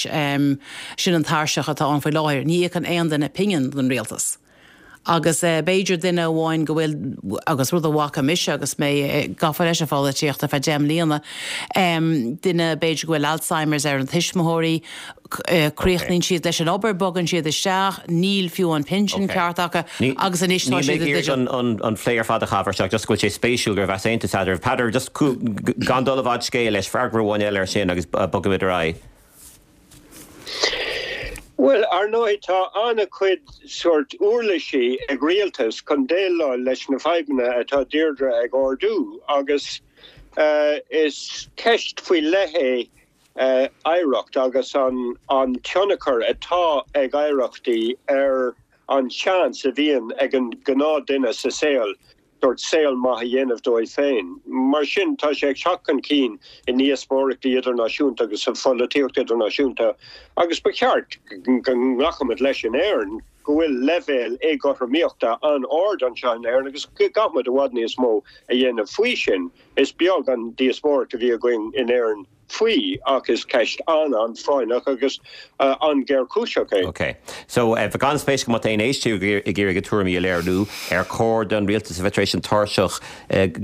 sin an tairseach atá ann faoi láthair. Ní íocann aon duine pingin don rialtas. Agus b'fhéidir duine amháin go bhfuil, agus rud a bhfaca mise agus mé gafa leis an pholaitíocht ar feadh 10 mbliana, duine b'fhéidir go bhfuil Alzheimer's ar an tuismitheoirí, críochnaíonn siad leis an obair, bogann siad isteach, níl fiú an pinsean ceart acu agus anois tá siad i dteideal. Níl mé ag iarraidh an plé ar fad a chaitheamh air seo, just go bhfuil sé spéisiúil go raibh easaontas eadraibh. Peadar, just gan dul i bhfad scéil leis, freagra amháin eile air sin agus bogfaimid ar aghaidh. Bhuel, ar ndóigh, tá an-chuid sórt uirlisí ag rialtas chun déileáil leis na fadhbanna atá Deirdre ag ardú agus is ceist faoi leith é oidhreacht agus an tionchar atá ag oidhreachtaí ar an seans a bhíonn ag an ghnáthduine sa saol sórt saol maith a dhéanamh dóibh féin. Mar sin, tá sé ag teacht chun cinn i ndíospóireachtaí idirnáisiúnta agus sa pholaitíocht idirnáisiúnta agus ba cheart go nglacfaimid leis in Éirinn go bhfuil leibhéal éagothromaíochta an-ard anseo in Éirinn agus go gcaithfimid i bhfad níos mó a dhéanamh faoi sin. Is beag an díospóireacht a bhí againn in Éirinn faoi ach is ceist an-an-phráinneach agus an-ghéarchúiseach é. Ok. So, bheadh an-spéis agam má tá aon éisteoir ag iarraidh a tuairimí a léiriú, ar chóir don rialtas a bheith tar éis an tairseach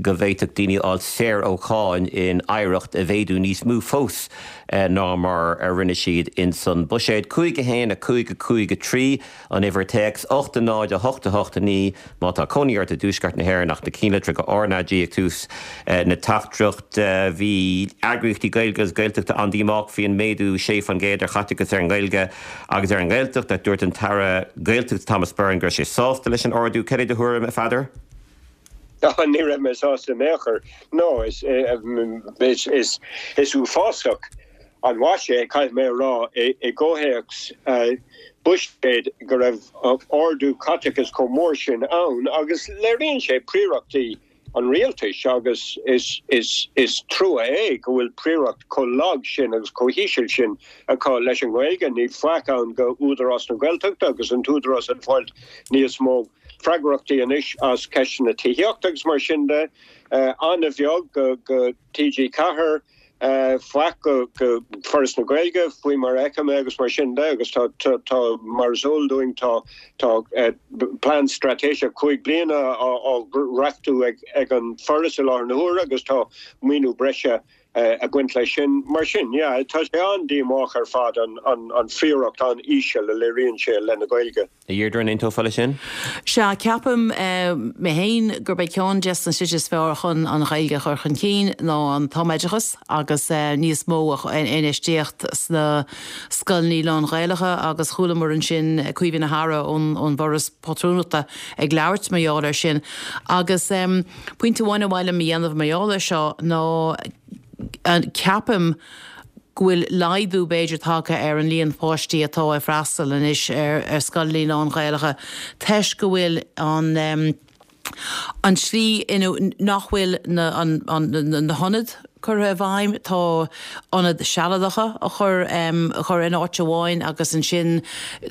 go bhféadfadh daoine a fháil saor ó cháin in oidhreacht a mhéadú níos mó fós ná mar a rinne siad ins an buiséad. 5 1 5 5 3 An uimhir téacs, 8 0 8 8 9 Má tá cónaí ort i dTuaisceart na hÉireann ach na cinnlitreacha RnaG ag tús na teachtaireachta. Bhí eagraíochtaí Gaeilge agus Gaeltachta an-díomách faoi an méadú 6% ar chaiteachas ar an nGaeilge agus ar an nGaeltacht ach dúirt an tAire Gaeltachta Thomas Byrne go raibh sé sásta leis an ardú. Cad é do thuairim, a Pheadair? Ní raibh mé sásta in aon chor. No, is is uafásach an mhaise é, caithfidh mé a rá, i gcomhthéacs buiséid go raibh ardú caiteachais chomh mór sin ann agus léiríonn sé príorachtaí an rialtais agus is is is trua é go bhfuil príoracht chomh lag sin agus chomh híseal sin acu leis an nGaeilge. Níl faic ann go Údarás na Gaeltachta agus an t-údarás ag fáilt níos mó freagrachtaí anois as ceisteanna tithíochta agus mar sin de. An-bheag go TG4, faic go Foras na Gaeilge faoi mar a fheicim é agus mar sin de agus tá, tá, mar is eol dúinn tá, tá plean straitéiseach 5 bliana á dhreachtú ag an Foras i láthair na huaire agus tá maoiniú breise. Ag baint leis sin. Mar sin, yeah, tá sé an-díomách ar fad an phríoracht an-íseal a léiríonn sé i leith na Gaeilge. A Dheirdre, an aontófá leis sin? Sea, ceapaim mé féin gurb é ceann des na slite is fearr chun an Ghaeilge a chur chun cinn ná an tumoideachas agus níos mó infheistíocht sna scoileanna lán-Ghaelacha agus chualamar ansin Caoimhín Ó hEadhra ón bhForas Pátrúnachta ag labhairt mar gheall air sin agus Pointe amháin ar mhaith liom a dhéanamh mar gheall air seo ná ceapaim go bhfuil laghdú b'fhéidir tagtha ar an líon páistí atá ag freastal anois ar scoileanna lán-Ghaelacha toisc go bhfuil an an tslí ina nach bhfuil na na hionaid curtha i bhfeidhm. Tá ionaid sealadacha á chur á chur in áit amháin agus ansin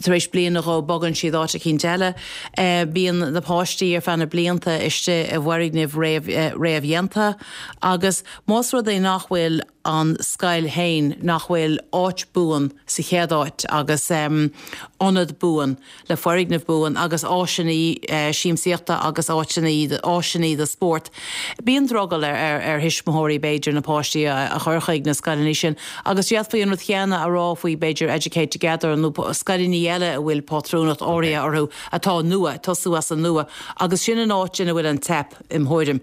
tar éis bliain nó dhó bogann siad áit eicínt eile. Bíonn na páistí ar feadh na blianta istigh i bhfoirgnimh réamhdhéanta agus más rud é nach bhfuil an scoil féin, nach bhfuil áit buan sa chéad áit agus ionad buan, le foirgneamh buan agus áiseanna siamsaíochta agus áiteanna, áiseanna do spórt. Bíonn drogall ar ar thuismitheoirí b'fhéidir na páistí a chur chuig na scoileanna sin agus d'fhéadfaí an rud chéanna a rá faoi b'fhéidir Educate Together nó scoileanna eile a bhfuil pátrúnacht áirithe orthu atá nua, ag tosú as an nua agus sin an áit ina bhfuil an teip im thuairim.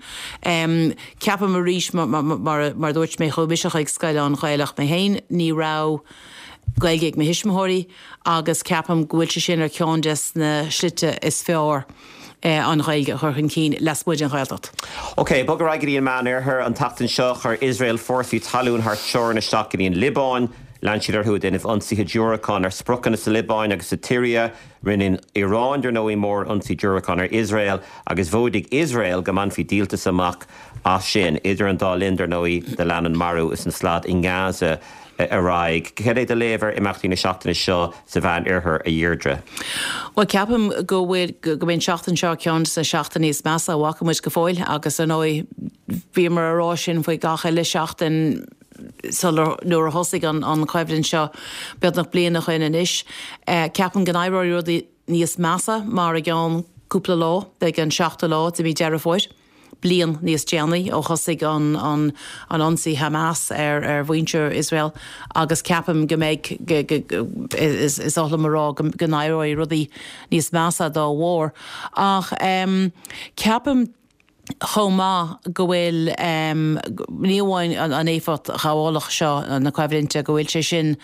Ceapaim arís mar mar a dúirt mé chuaigh mise chuig scoil lán-Ghaelach mé féin, ní raibh Gaeilge ag mo thuismitheoirí agus ceapaim go bhfuil sé sin ar cheann des na slite is fearr an Ghaeilge a chur chun cinn lasmuigh den Ghaeltacht. Ok, bog ar aghaidh go dtí an Meán-Oirthear. An tseachtain seo, chuir Iosrael fórsaí talún thar teorainn isteach go dtí an Liobáin. Lean siad orthu ag déanamh ionsaithe diúracán ar spriocanna sa Liobáin agus sa tSiria. Rinne an Iaráin, dar ndóigh, mórionsaí diúracán ar Iosrael agus mhóidigh Iosrael go mbainfí díoltas amach as sin. Idir an dá linn, dar ndóigh, do lean an marú is an slad i nGaza. ar aghaidh. Cad é do léamh ar imeachtaí na seachtaine seo sa Mheán Oirthear, a Dheirdre? Bhuel, ceapaim go bhfuil, go mbeidh an tseachtain seo ceann de na seachtainí is measa a bhfaca muid go fóill agus ar ndóigh bhíomar a rá sin faoi gach uile seachtain sular, nuair a thosaigh an an choimhlint seo beagnach bliain ó shin anois. Ceapaim go n-éireoidh rudaí níos measa mar i gceann cúpla lá beidh an seachtú lá de mhí Deireadh Fómhair. bliain níos déanaí ó thosaigh an an ionsaí Hamas ar ar mhuintir Iosrael agus ceapaim go mbeidh go is is oth liom a rá go go n-éireoidh rudaí níos measa dá bharr. Ach ceapaim chomh maith go bhfuil ní amháin an éifeacht ghabhálach seo na coimhlinte go bhfuil sé sin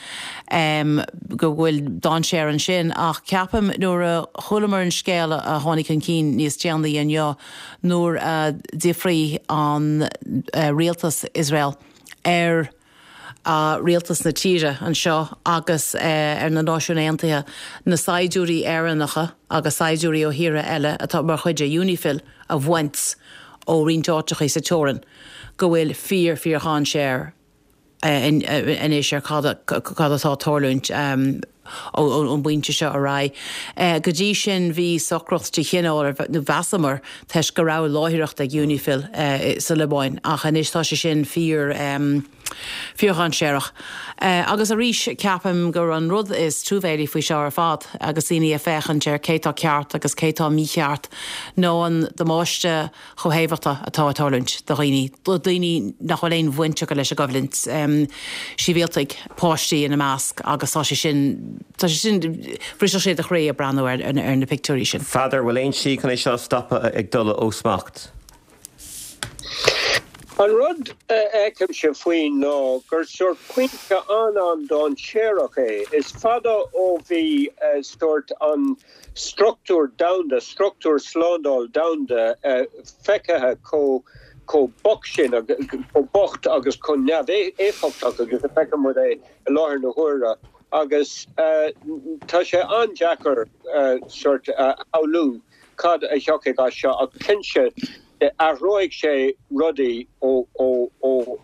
go bhfuil dainséar ansin ach ceapaim nuair a chualamar an scéal a tháinig chun cinn níos déanaí inniu nuair a d'fhiafraigh an rialtas Iosrael ar rialtas na tíre anseo agus ar na Náisiúin Aontaithe na saighdiúirí Éireannacha agus saighdiúirí ó thíortha eile atá mar chuid de Unifil a bhaint ó roinnt áiteachaí sa teorainn go bhfuil fíor fíor-dhainséar anois ar cad atá ag tarlúint ón bpointe seo ar aghaidh. Go dtí sin bhí socracht de chineál, nó mheasamar, toisc go raibh láithreacht ag Unifil sa Liobáin ach anois tá sé sin fíor, fíordhainséarach. Agus arís ceapaim gur an rud is truamhéilí faoi seo ar fad agus daoine ag féachaint ar cé tá ceart agus cé tá mícheart ná an damáiste chomhthaobhachta atá ag tarlúint do dhaoine, do dhaoine nach bhfuil aon bhaint acu leis an gcoimhlint, sibhialtaigh, páistí ina measc agus tá sé sin, tá sé sin, bhrisfeadh sé do chroí ag breathnú ar na pictiúirí sin. Pheadair, bhfuil aon tslí chun é seo a stopadh ag dul ó smacht? An rud a fheicimse faoi ná gur sórt pointe an-an-dainséarach é. Is fada ó bhí sórt an struchtúr domhanda, struchtúr slándáil domhanda feicthe chomh chomh bocht sin, chomh bocht agus chomh neamhéifeachtach agus a fheiceann muid é i láthair na huaire agus tá sé an-deacair sórt a shamhlú cad a thiocfaidh as seo ach cinnte athróidh sé rudaí ó ó ó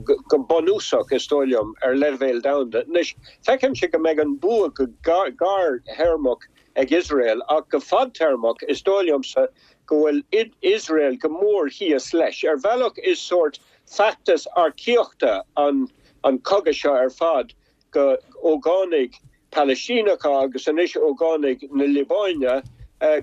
go bunúsach is dóigh liom ar leibhéal domhanda. Anois feicimse go mbeidh an bua go gearrthéarmach ag Iosrael ach go fadtéarmach is dóigh liomsa go bhfuil Iosrael go mór thíos leis. Ar bhealach is sórt feachtas earcaíochta an an cogadh seo ar fad go ógánaigh Palaistíneacha agus anois ógánaigh na Liobáine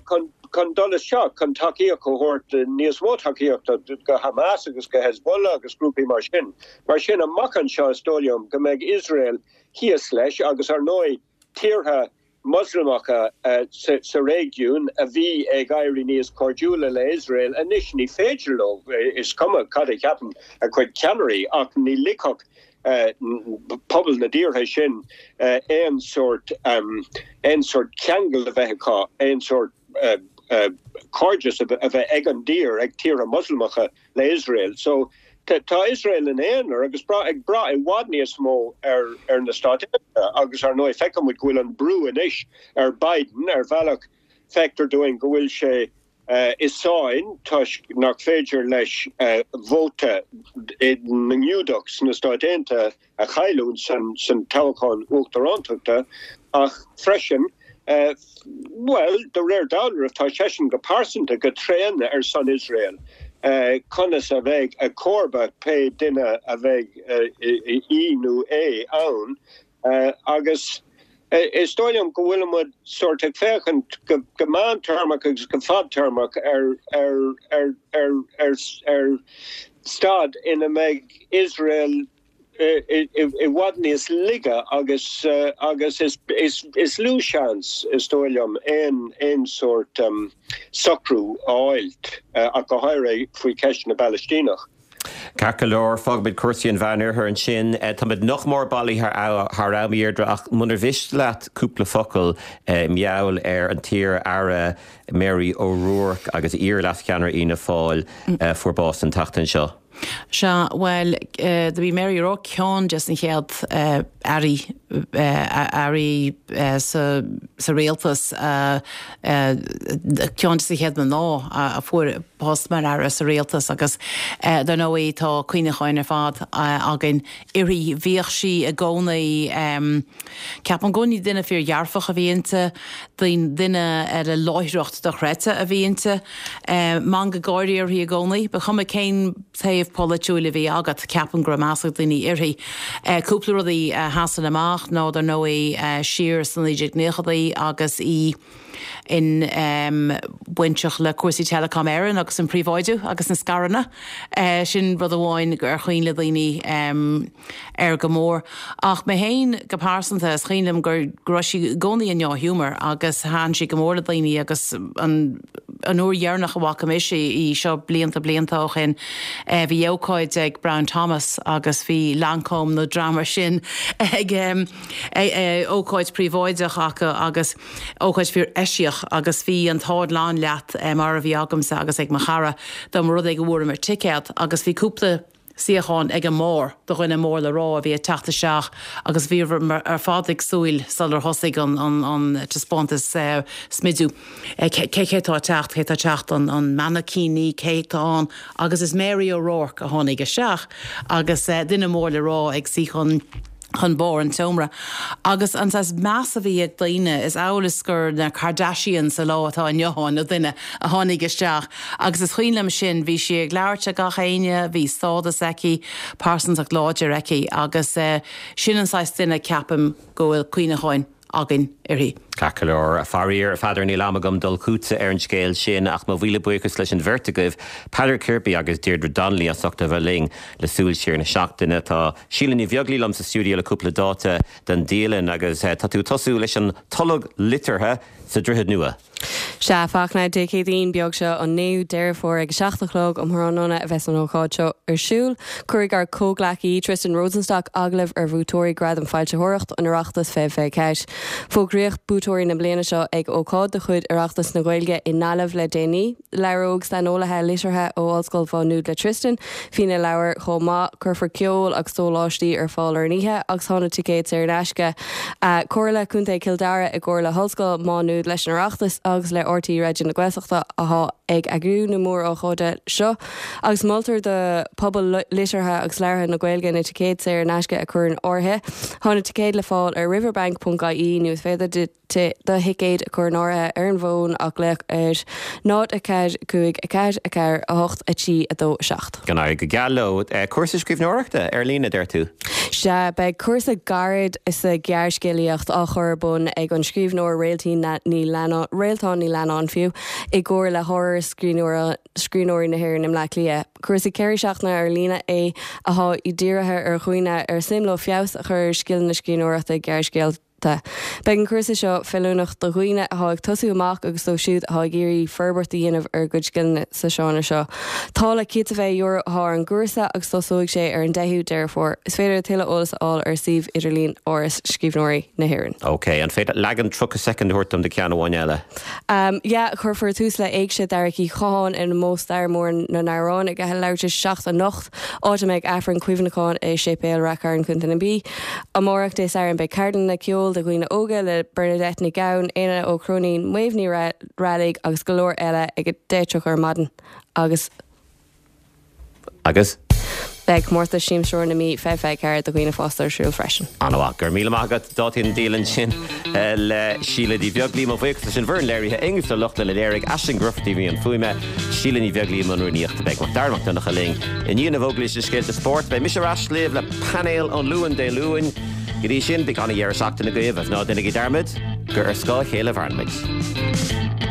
chun. chun dul isteach chun tacaíocht a thabhairt, níos mó tacaíochta do Hamas agus go Hezbollah agus grúpaí mar sin. Mar sin, amach anseo is dóigh liom go mbeidh Iosrael thíos leis agus ar ndóigh tíortha Moslamacha sa réigiún a bhí ag éirí níos cairdiúla le Iosrael, anois ní féidir leo, is cuma cad a cheapann a gcuid ceannairí, ach ní ligfeadh pobal na dtíortha sin aon sórt aon sórt ceangal a bheith acu, aon sórt cairdeas a bheith ag an dtír, ag tíortha Moslamacha le Iosrael. So tá Iosrael ina aonar agus ag brath i bhfad níos mó ar ar na Stáit Aontaithe agus ar ndóigh feiceann muid go bhfuil an brú anois ar Biden ar bhealach feictear dúinn go bhfuil sé i sáinn toisc nach féidir leis vóta na nGiúdach sna Stáit Aontaithe a chailliúint san toghchán uachtarántachta ach freisin, bhuel, de réir dealraimh tá seisean go pearsanta go tréan ar son Iosrael. Conas a bheidh a chomharba, pé duine a bheidh í nó é ann, Agus is dóigh liom go bhfuil muid sórt ag féachaint go meántéarmach agus go fadtéarmach ar ar staid ina mbeidh Iosrael i bhfad níos laige agus agus is lú seans, is dóigh liom, aon sórt socrú a fháilt, ach go háirithe faoi cheist na bPalaistíneach. Ceart go leor, fágfaimid cúrsaí an Mheánoirthir ansin. Táimid nach mór bailithe thar am, a Dheirdre, ach munar mhiste leat cúpla focal i ngeall ar an t-iar-aire Mary O'Rourke agus iar-leascheannaire Fhianna Fáil a fuair bás an tseachtain seo. Sea, bhuel, do bhí Mary O'Rourke ceann des na chéad airí, airí sa, sa rialtas, ceann des na chéad mná a fuair post mar aire sa rialtas agus dar ndóigh tá cuimhneacháin ar fad againn uirthi. Bhíodh sí i gcónaí, ceapaim i gcónaí duine fíor-dhearfach a bhí inti, duine le láithreacht dochreidte a bhí inti. Meangadh gáire uirthi i gcónaí. Ba chuma cén taobh polaitiúil a bhí agat, ceapaim go raibh meas ag daoine uirthi. Cúpla rudaí a sheasann amach ná dar ndóigh siar sna 1990idí agus í, in bainteach le cúrsaí Telecom Éireann agus an príobháidiú agus na scaireanna. Sin rud amháin ar chuimhin le daoine air go mór. Ach mé féin go pearsanta, is cuimhin liom go raibh sí i gcónaí i ndea-ghiúmar agus thaitin sí go mór le daoine agus an an uair dheireanach a bhfaca mise í, seo blianta blianta ó shin, bhí ócáid ag Brown Thomas agus bhí Lancôme nó dream mar sin ag ócáid príobháideach acu agus Ócáid fíor eisiach agus bhí an t-ádh lán leat mar a bhí agamsa agus ag mo chara dá mba rud é go bhfuaireamar ticéad agus bhí cúpla suíochán ag an mbarr do dhuine mór le rá a bhí ag teacht isteach agus bhíomar ar fad ag súil sular thosaigh an taispeántas smidiú cé cé tá ag teacht, cé tá ag teacht, an mainicíní, cé tá ann agus is Mary O'Rourke a tháinig isteach agus duine mór le rá ag suí chun chun barr an tseomra. Agus an saghas meas a bhí ag daoine, is amhail is gur na Kardashians sa lá atá inniu ann, na duine a tháinig isteach. Agus is cuimhin liom sin, bhí sí ag labhairt le gach éinne, bhí stádas aici, pearsantacht láidir aici agus sin an saghas duine ceapaim go bhfuil cuimhneacháin againn uirthi. Ceart go leor. Faraor, a Pheadair, níl am agam dul chugatsa ar an scéal sin, ach mo mhíle buíochas leis an bheirt agaibh, Peadar Kirby agus Deirdre Donnelly, as ucht a bheith linn le súil siar na seachtaine. Tá Síle Ní Bheaglaoí liom sa stiúideo le cúpla dáta don dialann agus tá tú ag tosú leis an tolg liteartha sa Droichead Nua. Sea, Fachtna, Dé Céadaoin beag seo, an 9ú Deireadh Fómhair ag a 7 a chlog um thráthnóna a bheas an ócáid seo ar siúl. Cuirfidh ár comhghleacaí, Tristan Rosenstock, agallamh ar bhuaiteoirí Gradam Foilsitheoireacht an Oireachtais 2024. Fógraíodh buaiteoirí na bliana seo ag ócáid de chuid Oireachtas na Gaeilge i nGaillimh le déanaí. Labhróidh saineolaithe liteartha ó Ollscoil Mhá Nuad le Tristan faoi na leabhair chomh maith. Cuirfear ceol agus sóláistí ar fáil ar an oíche agus tá na ticéid saor in aisce. Comhairle Contae Chill Dara i gcomhar le hOllscoil Mhá Nuad leis an Oireachtas agus le RTÉ Raidió na Gaeltachta atá ag eagrú na mór-ócáide seo agus moltar do phobal liteartha agus labhartha na Gaeilge na ticéid saor in aisce a chur in áirithe. Tá na ticéid le fáil ar riverbank.ie nó is féidir. do thicéad a chur in áirithe ar an bhfón ach glaoch ar 0 4 5 4 4 8 3 2 7. Go n-éirí go geal leo. Cúrsa scríbhneoireachta ar líne, deir tú? Sea, beidh cúrsa gairid sa ghearrscéalaíocht á chur ar bun ag an scríbhneoir Réaltín Ní Leannáin, Réaltán Ní Leannáin fiú, i gcomhar le hÁras Scríbhneoirí na hÉireann i mBleá Cliath. Cúrsa 4 seachtaine ar líne é atá dírithe ar dhaoine ar suim leo feabhas a chur ar scileanna scríbhneoireachta gearrscéalta. Beidh an cúrsa seo feiliúnach do dhaoine atá ag tosú amach agus dóibh siúd atá ag iarraidh forbairt a dhéanamh ar a gcuid scileanna sa seánra seo. Táille €120 atá ar an gcúrsa agus tosóidh sé ar an 10ú Deireadh Fómhair. Is féidir tuilleadh eolais a fháil ar suíomh idirlín Áras Scríbhneoirí na hÉireann. Ok, an féidir leagan 30 soicind a thabhairt dom de ceann amháin eile? Yeah, cuirfear tús le Éigse Dharach Uí Chatháin in ómós stair mór na n-amhrán ag a leathuair tar éis a 7 anocht, áit a mbeidh Aifreann cuimhneacháin i Séipéal Rath Cairn, Co. na Mí. Amárach, Dé Sathairn, beidh ceardlanna ceoil do dhaoine óga le Bernadette Nic Gabhann, Éanna Ó Cróinín, Maebh Ní Raghallaigh agus go leor eile ag 10:30 ar maidin agus. Agus? Beidh comórtas Siamsóir na Mí 2024 do dhaoine fásta ar siúl freisin. An-mhaith. Go raibh míle maith agat. Dátaí na dialann sin le Síle Ní Bheaglaoí. Mo bhuíochas leis an bhfoireann léirithe, Aonghus Ó Lochlainn a léirigh, Aisling Grufferty a bhí i mbun fuaime, Síle Ní Bheaglaoí i mbun rúnaíochta. Beidh Macdara Mac Donncha linn i ndiaidh na bhfógraí leis na scéalta spóirt. Beidh mise ar ais libh le painéal an Luain Dé Luain. Go dtí sin, bíodh an-dheireadh seachtaine agaibh agus ná déanaigí dearmad gur ar scáth a chéile a mhaireann muid.